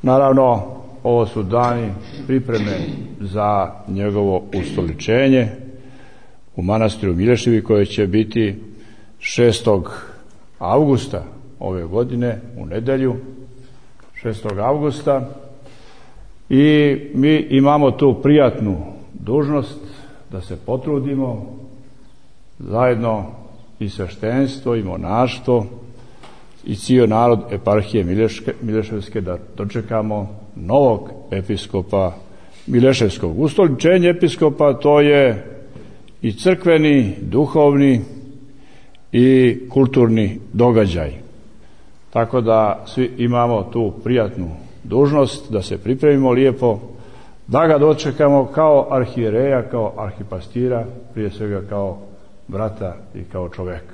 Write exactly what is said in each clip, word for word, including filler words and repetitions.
Naravno, ovo su dani pripreme za njegovo ustoličenje u manastiru Mileševi, koje će biti šestog avgusta ove godine, u nedjelju, šestog avgusta. I mi imamo tu prijatnu dužnost da se potrudimo zajedno i sveštenstvo i monaštvo i cijel narod eparhije Mileške, Mileševske da dočekamo novog episkopa Mileševskog. Ustoličenje episkopa to je i crkveni, duhovni i kulturni događaj. Tako da svi imamo tu prijatnu dužnost da se pripremimo lijepo, da ga dočekamo kao arhijereja, kao arhipastira, prije svega kao brata i kao čovjeka.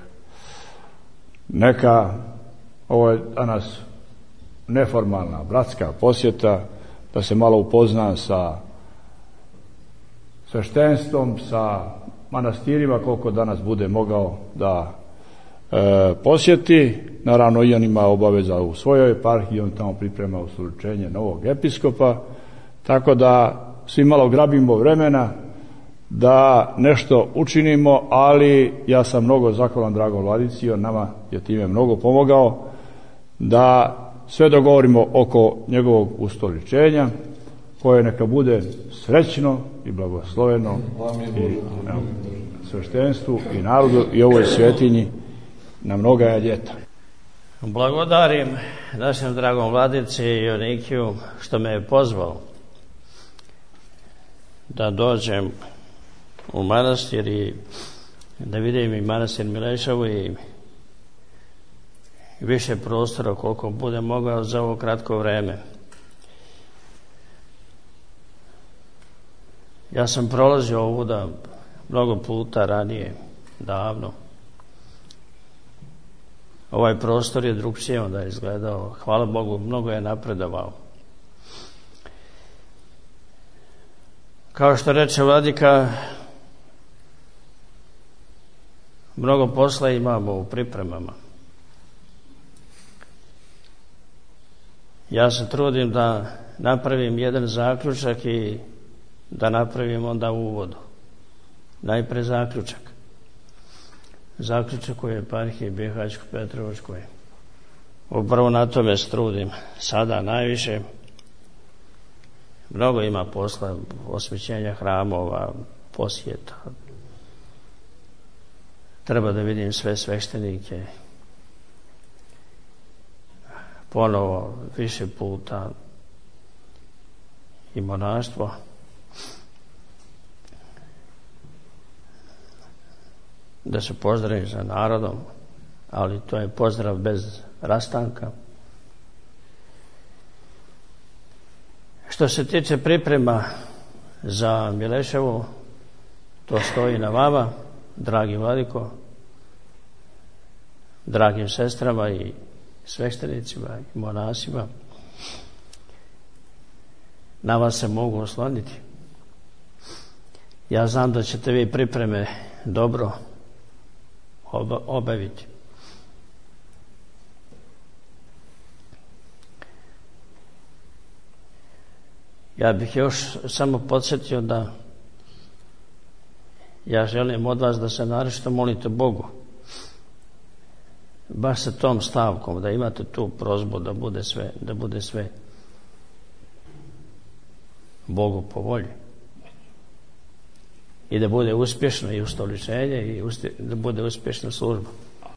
Neka, ovo je danas neformalna bratska posjeta, da se malo upozna sa sveštenstvom, sa manastirima, koliko danas bude mogao da e, posjeti. Naravno, i on ima obaveza u svojoj eparhiji, on tamo priprema ustoličenje novog episkopa, tako da svi malo grabimo vremena da nešto učinimo, ali ja sam mnogo zahvalan dragom vladici, on nama je time mnogo pomogao da sve dogovorimo oko njegovog ustoličenja, koje neka bude srećno i blagosloveno i sveštenstvu i narodu i ovoj svetinji na mnoga ljeta. Blagodarim našem dragom vladici Jonikiju što me je pozvao da dođem u manastir i da vidim i manastir Mileševu i više prostora koliko bude mogao za ovo kratko vreme. Ja sam prolazio ovuda mnogo puta ranije, davno. Ovaj prostor je drugčije onda izgledao. Hvala Bogu, mnogo je napredovao. Kao što reče vladika, mnogo posla imamo u pripremama. Ja se trudim da napravim jedan zaključak i da napravim onda uvodu. Najpre zaključak. Zaključak u eparhiji Bihaćko-Petrovačkoj. Upravo na tome se trudim sada najviše. Mnogo ima posla, osvećenja hramova, posjeta. Treba da vidim sve sveštenike. Ponovo, više puta i monaštvo. Da se pozdravim sa narodom, ali to je pozdrav bez rastanka. Što se tiče priprema za Mileševu, to stoji na vama, dragi vladiko, dragim sestrama i sveštenicima i monasima. Na vas se mogu osloniti. Ja znam da ćete vi pripreme dobro obaviti. Ja bih još samo podsjetio da ja želim od vas da se naročito molite Bogu, baš sa tom stavkom, da imate tu prozbu da bude sve, da bude sve Bogu po volji i da bude uspješno i ustoličenje i da bude uspješna služba.